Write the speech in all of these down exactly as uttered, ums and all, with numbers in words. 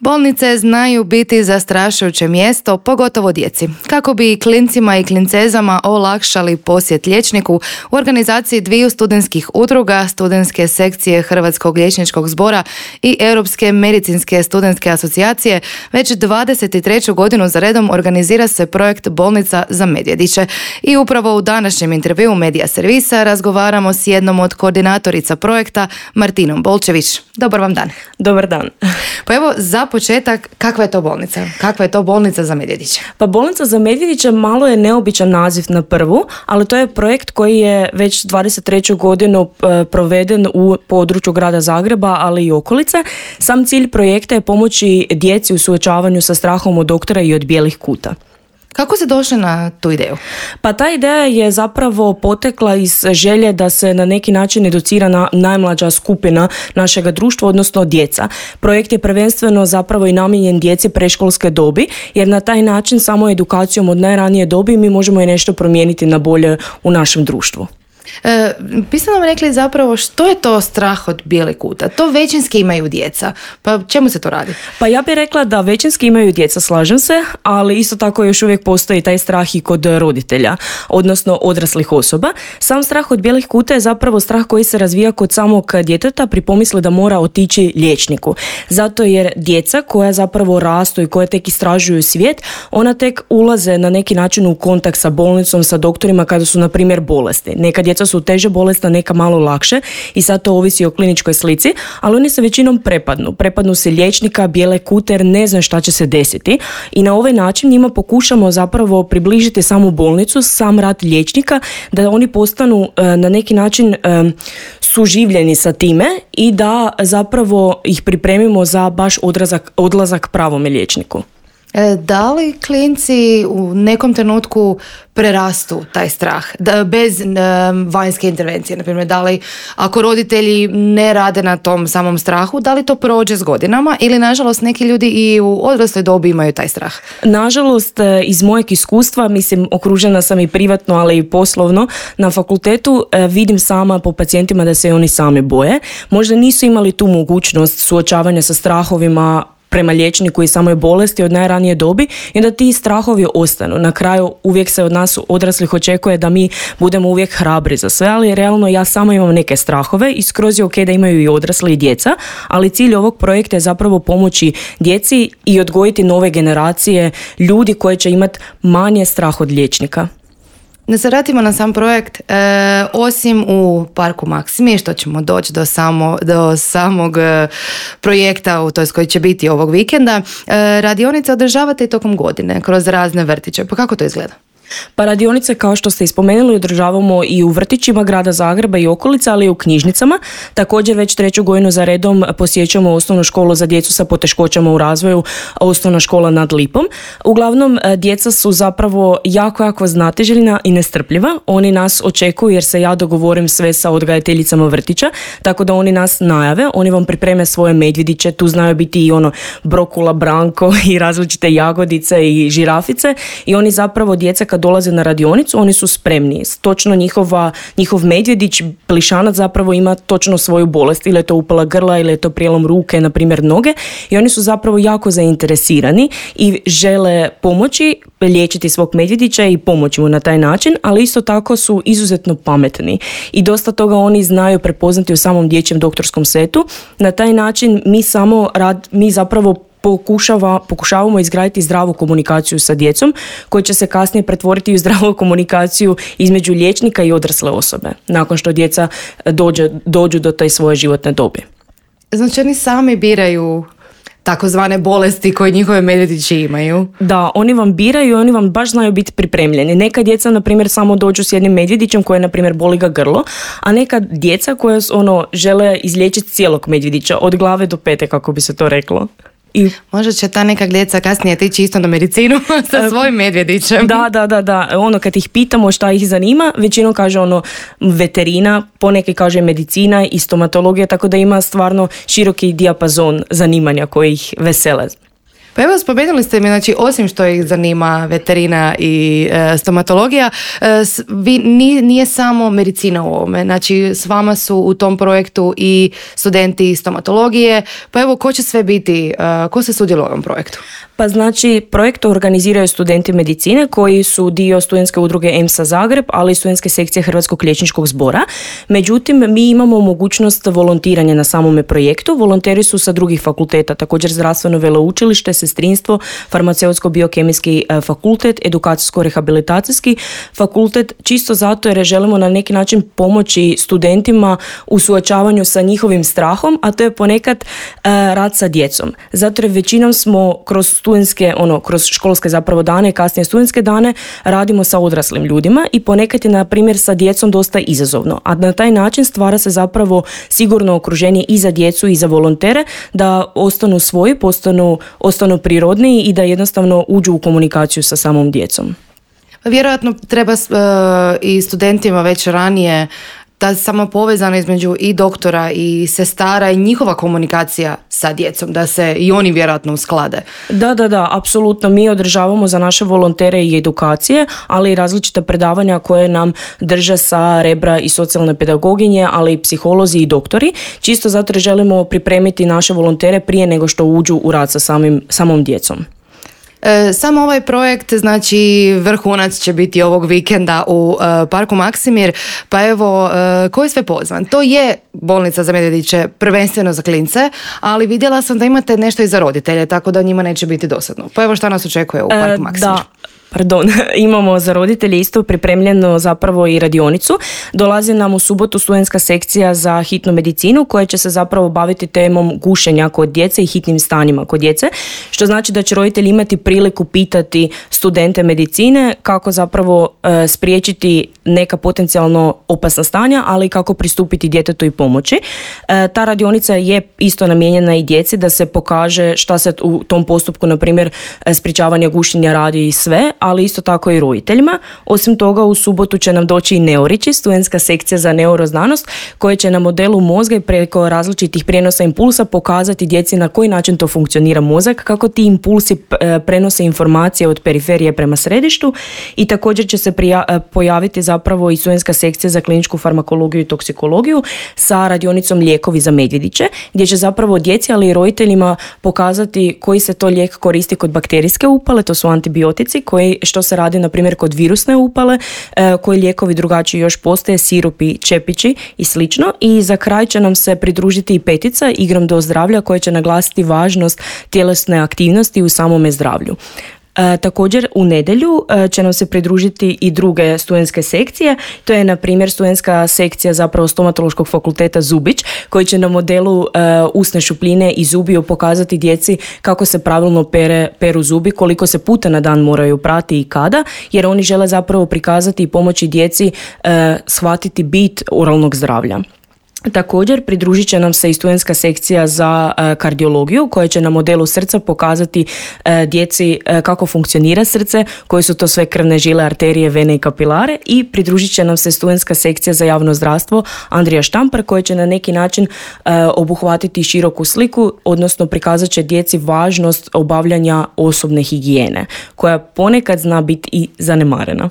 Bolnice znaju biti zastrašujuće mjesto, pogotovo djeci. Kako bi klincima i klincezama olakšali posjet liječniku, u organizaciji dviju studentskih udruga, studentske sekcije Hrvatskog liječničkog zbora i Europske medicinske studentske asocijacije, već dvadeset treću godinu za redom organizira se projekt Bolnica za medvjediće. I upravo u današnjem intervjuu Medija servisa razgovaramo s jednom od koordinatorica projekta, Martinom Bolčević. Dobar vam dan. Dobar dan. Pa evo, za početak, kakva je to bolnica? Kakva je to bolnica za medvjediće? Pa bolnica za medvjediće malo je neobičan naziv na prvu, ali to je projekt koji je već dvadeset treću godinu proveden u području grada Zagreba, ali i okolice. Sam cilj projekta je pomoći djeci u suočavanju sa strahom od doktora i od bijelih kuta. Kako ste došli na tu ideju? Pa ta ideja je zapravo potekla iz želje da se na neki način educira na najmlađa skupina našega društva, odnosno djeca. Projekt je prvenstveno zapravo i namijenjen djeci predškolske dobi, jer na taj način samo edukacijom od najranije dobi mi možemo i nešto promijeniti na bolje u našem društvu. E, vi ste nam rekli zapravo što je to strah od bijelih kuta. To većinski imaju djeca. Pa čemu se to radi? Pa ja bih rekla da većinski imaju djeca, slažem se, ali isto tako još uvijek postoji taj strah i kod roditelja, odnosno odraslih osoba. Sam strah od bijelih kuta je zapravo strah koji se razvija kod samog djeteta pri pomisli da mora otići liječniku. Zato jer djeca koja zapravo rastu i koja tek istražuju svijet, ona tek ulaze na neki način u kontakt sa bolnicom, sa doktorima kada su na primjer bolesti. Neka djeca su teže bolesna, neka malo lakše i sad to ovisi o kliničkoj slici, ali oni se većinom prepadnu. Prepadnu se liječnika, bijele kute jer ne znam šta će se desiti i na ovaj način njima pokušamo zapravo približiti samu bolnicu, sam rad liječnika, da oni postanu na neki način suživljeni sa time i da zapravo ih pripremimo za baš odrazak, odlazak pravome liječniku. Da li klinci u nekom trenutku prerastu taj strah da, bez um, vanjske intervencije? Naprimjer, da li ako roditelji ne rade na tom samom strahu, da li to prođe s godinama ili nažalost neki ljudi i u odrasloj dobi imaju taj strah? Nažalost, iz mojeg iskustva, mislim, okružena sam i privatno, ali i poslovno na fakultetu, vidim sama po pacijentima da se oni sami boje. Možda nisu imali tu mogućnost suočavanja sa strahovima prema liječniku i samoj bolesti od najranije dobi i da ti strahovi ostanu. Na kraju uvijek se od nas odraslih očekuje da mi budemo uvijek hrabri za sve, ali realno ja sama imam neke strahove i skroz je ok da imaju i odrasli i djeca, ali cilj ovog projekta je zapravo pomoći djeci i odgojiti nove generacije ljudi koji će imati manje strah od liječnika. Da se vratimo na sam projekt, e, osim u Parku Maksimi, što ćemo doći do, samo, do samog e, projekta, to jest koji će biti ovog vikenda, e, radionice održavate i tokom godine kroz razne vrtiće. Pa kako to izgleda? Pa radionice, kao što ste ispomenuli, održavamo i u vrtićima grada Zagreba i okolica, ali i u knjižnicama. Također već treću godinu za redom posjećamo osnovnu školu za djecu sa poteškoćama u razvoju, osnovna škola nad Lipom. Uglavnom, djeca su zapravo jako, jako znatiželjna i nestrpljiva. Oni nas očekuju jer se ja dogovorim sve sa odgajateljicama vrtića, tako da oni nas najave, oni vam pripreme svoje medvjediće, tu znaju biti i ono brokula, branko i različite jagodice i žirafice i oni zapravo djeca kad dolaze na radionicu, oni su spremni. Točno njihova, njihov medvjedić, plišanac zapravo ima točno svoju bolest, ili je to upala grla, ili je to prijelom ruke, na primjer noge, i oni su zapravo jako zainteresirani i žele pomoći, liječiti svog medvjedića i pomoći mu na taj način, ali isto tako su izuzetno pametni i dosta toga oni znaju prepoznati u samom dječjem doktorskom setu. Na taj način mi samo rad, mi zapravo Pokušava, pokušavamo izgraditi zdravu komunikaciju sa djecom koja će se kasnije pretvoriti u zdravu komunikaciju između liječnika i odrasle osobe nakon što djeca dođe, dođu do te svoje životne dobi. Znači oni sami biraju takozvane bolesti koje njihove medvjedići imaju. Da, oni vam biraju i oni vam baš znaju biti pripremljeni. Neka djeca, na primjer, samo dođu s jednim medvjedićem koje, na primjer, boli ga grlo, a neka djeca koja ono, žele izliječiti cijelog medvjedića od glave do pete, kako bi se to reklo. I možda će ta neka djeca kasnije tići isto na medicinu sa svojim medvjedićem. Da, da, da, da. Ono kad ih pitamo šta ih zanima, većinom kaže ono veterina, poneki kaže medicina i stomatologija, tako da ima stvarno široki dijapazon zanimanja koji ih vesele. Pa evo, spomenuli ste mi, znači, osim što ih zanima veterina i e, stomatologija, e, vi, nije, nije samo medicina u ovome, znači s vama su u tom projektu i studenti stomatologije, pa evo, ko će sve biti, e, ko se sudjeluje u ovom projektu? Pa znači, projekt organiziraju studenti medicine koji su dio studentske udruge E M S A Zagreb, ali i studentske sekcije Hrvatskog liječničkog zbora. Međutim, mi imamo mogućnost volontiranja na samome projektu. Volonteri su sa drugih fakulteta, također zdravstveno veleučilište, sestrinstvo, farmaceutsko-biokemijski fakultet, edukacijsko-rehabilitacijski fakultet, čisto zato jer želimo na neki način pomoći studentima u suočavanju sa njihovim strahom, a to je ponekad uh, rad sa djecom. Zato jer većinom smo kroz studentske, ono, kroz školske zapravo dane, kasnije studentske dane, radimo sa odraslim ljudima i ponekad je, na primjer, sa djecom dosta izazovno. A na taj način stvara se zapravo sigurno okruženje i za djecu i za volontere da ostanu svoji, postanu, ostanu prirodniji i da jednostavno uđu u komunikaciju sa samom djecom. Vjerojatno treba uh, i studentima već ranije ta sama povezana između i doktora i sestara i njihova komunikacija sa djecom, da se i oni vjerojatno usklade. Da, da, da, apsolutno. Mi održavamo za naše volontere i edukacije, ali i različita predavanja koje nam drže sa Rebra i socijalne pedagoginje, ali i psiholozi i doktori. Čisto zato jer želimo pripremiti naše volontere prije nego što uđu u rad sa samim, samom djecom. E, sam ovaj projekt, znači vrhunac će biti ovog vikenda u e, Parku Maksimir, pa evo, e, ko je sve pozvan? To je bolnica za Medvjediće, prvenstveno za klince, ali vidjela sam da imate nešto i za roditelje, tako da njima neće biti dosadno. Pa evo, šta nas očekuje u Parku Maksimir? Da. Pardon, imamo za roditelje isto pripremljeno zapravo i radionicu. Dolazi nam u subotu studentska sekcija za hitnu medicinu koja će se zapravo baviti temom gušenja kod djece i hitnim stanjima kod djece, što znači da će roditelji imati priliku pitati studente medicine kako zapravo e, spriječiti neka potencijalno opasna stanja, ali kako pristupiti djetetu i pomoći. E, ta radionica je isto namijenjena i djeci da se pokaže šta se u tom postupku, na primjer, sprječavanja gušenja radi i sve, ali isto tako i roditeljima. Osim toga, u subotu će nam doći i Neorići, studentska sekcija za neuroznanost, koja će na modelu mozga i preko različitih prijenosa impulsa pokazati djeci na koji način to funkcionira mozak, kako ti impulsi prenose informacije od periferije prema središtu, i također će se prija- pojaviti zapravo i studentska sekcija za kliničku farmakologiju i toksikologiju sa radionicom lijekovi za Medvjediće, gdje će zapravo djeci, ali i roditeljima pokazati koji se to lijek koristi kod bakterijske upale, to su antibiotici, koji što se radi, na primjer, kod virusne upale, e, koji lijekovi drugačiji još postoje, sirupi, čepići i slično. I za kraj će nam se pridružiti i petica Igrom do zdravlja, koja će naglasiti važnost tjelesne aktivnosti u samome zdravlju. E, također u nedjelju e, će nam se pridružiti i druge studentske sekcije. To je, na primjer, studentska sekcija zapravo stomatološkog fakulteta Zubić, koji će na modelu e, usne šupljine i zubiju pokazati djeci kako se pravilno pere, peru zubi, koliko se puta na dan moraju prati i kada, jer oni žele zapravo prikazati i pomoći djeci e, shvatiti bit oralnog zdravlja. Također pridružit će nam se i studentska sekcija za e, kardiologiju, koja će na modelu srca pokazati e, djeci e, kako funkcionira srce, koje su to sve krvne žile, arterije, vene i kapilare, i pridružit će nam se studentska sekcija za javno zdravstvo Andrija Štampar, koja će na neki način e, obuhvatiti široku sliku, odnosno prikazat će djeci važnost obavljanja osobne higijene, koja ponekad zna biti i zanemarena.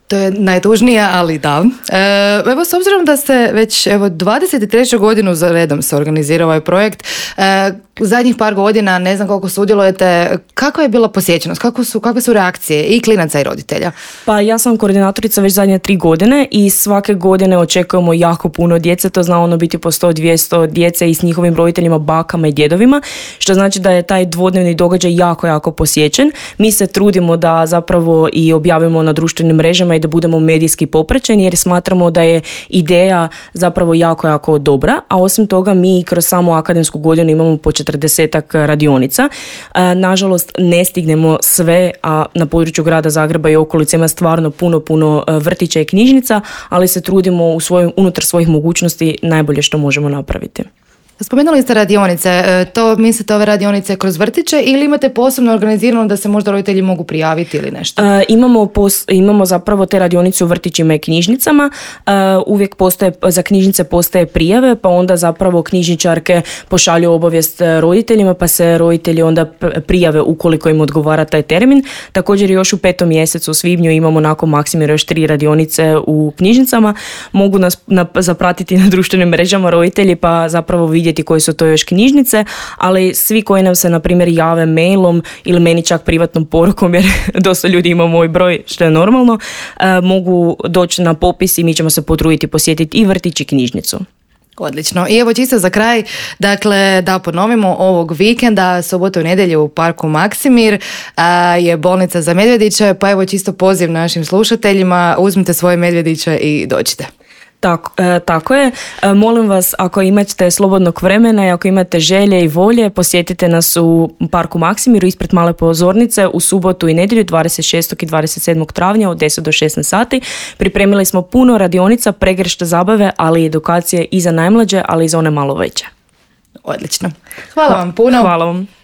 To je najtužnije, ali da. E, evo, s obzirom da ste već evo, dvadeset treću godinu za redom se organizira ovaj projekt, e, zadnjih par godina, ne znam koliko sudjelujete, kakva je bila posjećenost, kako su, kakve su reakcije i klinaca i roditelja? Pa ja sam koordinatorica već zadnje tri godine i svake godine očekujemo jako puno djece, to zna ono biti po sto do dvjesto djece i s njihovim roditeljima, bakama i djedovima, što znači da je taj dvodnevni događaj jako, jako posjećen. Mi se trudimo da zapravo i objavimo na društvenim mrežama i da budemo medijski popraćeni, jer smatramo da je ideja zapravo jako, jako dobra, a osim toga mi kroz samu akademsku godinu imamo po četrdesetak radionica. Nažalost, ne stignemo sve, a na području grada Zagreba i okolice ima stvarno puno, puno vrtića i knjižnica, ali se trudimo u svojim, unutar svojih mogućnosti najbolje što možemo napraviti. Spomenuli ste radionice, to mislite ove radionice kroz vrtiće ili imate posebno organizirano da se možda roditelji mogu prijaviti ili nešto? E, imamo, pos, imamo zapravo te radionice u vrtićima i knjižnicama, e, uvijek postoje, za knjižnice postoje prijave, pa onda zapravo knjižničarke pošalju obavijest roditeljima, pa se roditelji onda prijave ukoliko im odgovara taj termin. Također još u petom mjesecu, u svibnju, imamo nakon Maksimira još tri radionice u knjižnicama, mogu nas na, zapratiti na društvenim mrežama roditelji pa zapravo vidjeti koji su to još knjižnice, ali svi koji nam se na primjer jave mailom ili meni čak privatnom porukom, jer dosta ljudi ima moj broj, što je normalno, eh, mogu doći na popis i mi ćemo se potruditi posjetiti i vrtić i knjižnicu. Odlično. I evo čisto za kraj, dakle da ponovimo, ovog vikenda, subotu i nedjelju u parku Maksimir a, je bolnica za medvjediće, pa evo čisto poziv našim slušateljima, uzmite svoje medvjediće i dođite. Tako, e, tako je. E, molim vas, ako imate slobodnog vremena i ako imate želje i volje, posjetite nas u parku Maksimiru ispred male pozornice u subotu i nedjelju dvadeset šestog i dvadeset sedmog travnja od deset do šesnaest sati. Pripremili smo puno radionica, pregršt zabave, ali i edukacije i za najmlađe, ali i za one malo veće. Odlično. Hvala vam puno. Hvala vam.